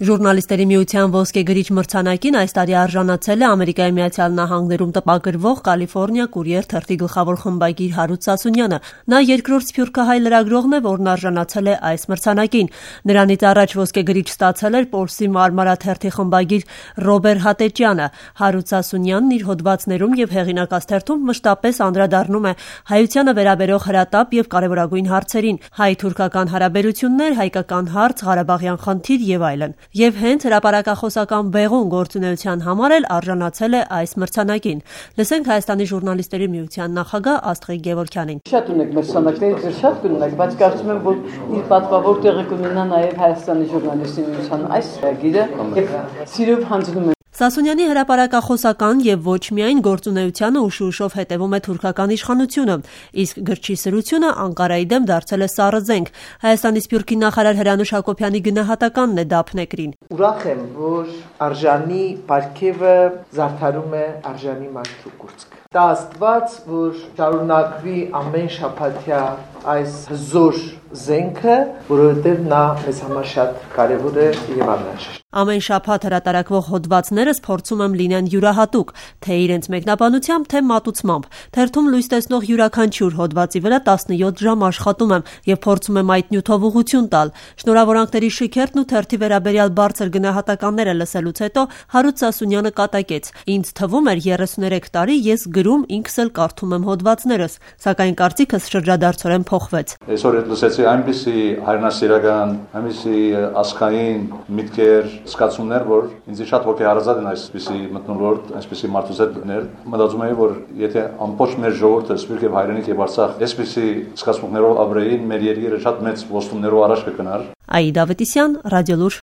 Ժուրնալիստների միության ոսկե գրիչ մրցանակին այս տարի արժանացել է Ամերիկայի Միացյալ Նահանգներում տպագրվող Կալիֆոռնիա Կուրիեր թերթի գլխավոր խմբագիր Հարութ Սասունյանը։ Նա երկրորդ սփյուռքահայ լրագրողն է, որն արժանացել է այս մրցանակին։ Նրանից առաջ ոսկե գրիչ ստացել էր Պոլսի Մարմարա թերթի խմբագիր Ռոբեր Հատեճյանը։ Հարութ Սասունյանն իր հոդվածներում եւ հեղինակած թերթում մշտապես անդրադառնում է հայությանը վերաբերող հրատապ եւ կարեւորագույն հարցերին՝ հայ-թուրքական հարաբերություններ, հայկական հարց, Ղարաբաղյան խնդիր եւ այլն։ Եվ հենց հրապարակախոսական բեղուն գործունեության համար էլ արժանացել է այս մրցանակին։ Լսենք Հայաստանի ժուրնալիստների միության նախագահ Աստղիկ Գևորգյանին։ Շատ ունենք մրցանակների, շատ կունենք, բայց կարծում եմ, որ իր պատվավոր տեղը կունենա նաև Հայաստանի ժուրնալիստների միության այս գիրը եւ սիրով հանձնում եմ։ Սասունյանի հրապարակախոսական եւ ոչ միայն գործունեությանը ուշ-ուշով հետևում է թուրքական իշխանությունը, իսկ գրչի սրությունը Անկարայի դեմ դարձել է սառը զենք։ Հայաստանի Սփյուռքի նախարար Հրանուշ Հակոբյանի գնահատականն է Դափնեկրին։ Ուրախ եմ, որ արժանի պարգևը զարդարում է արժանի մարդու կուրծքը։ Դա Աստված, որ շարունակվի ամեն շաբաթյա այս հզոր զենքը, որովհետև նա մեզ համար շատ կարևոր է եւ անհրաժեշտ։ Ամեն շաբաթ հրատարակվող հոդվածներս փորձում եմ լինեն յուրահատուկ, թե իրենց մեկնաբանությամբ, թե մատուցմամբ։ Թերթում լույս տեսնող յուրաքանչյուր հոդվածի վրա 17 ժամ աշխատում եմ եւ փորձում եմ այդ նյութով ուղղություն տալ։ Շնորհավորանքների շքերթն ու թերթի վերաբերյալ բարձր գնահատականները լսելուց հետո Հարութ Սասունյանը կատակեց. Ինձ թվում էր 33 տարի ես գրում, ինքս էլ կարդում եմ հոդվածներս, սակայն կարծիքս շրջադարձորեն փոխվեց։ Այսօր լսեցի այնպիսի հայրենասիրական, այնպիսի ազգային միտքեր, զգացումներ, որ ինձ շատ հոգեհարազատ են այսպիսի մթնոլորտ, այսպիսի մարդուզետներ։ Մտածում եմ, որ եթե ամբողջ մեր ժողովուրդը սփյուռք եւ հայրենիք եւ Արցախ այսպիսի զգացմունքներով ապրեին, մեր երկիրը շատ մեծ ոստումներով առաջ կգնար։ Աիդա Ավետիսյան, Ռադիոլուր։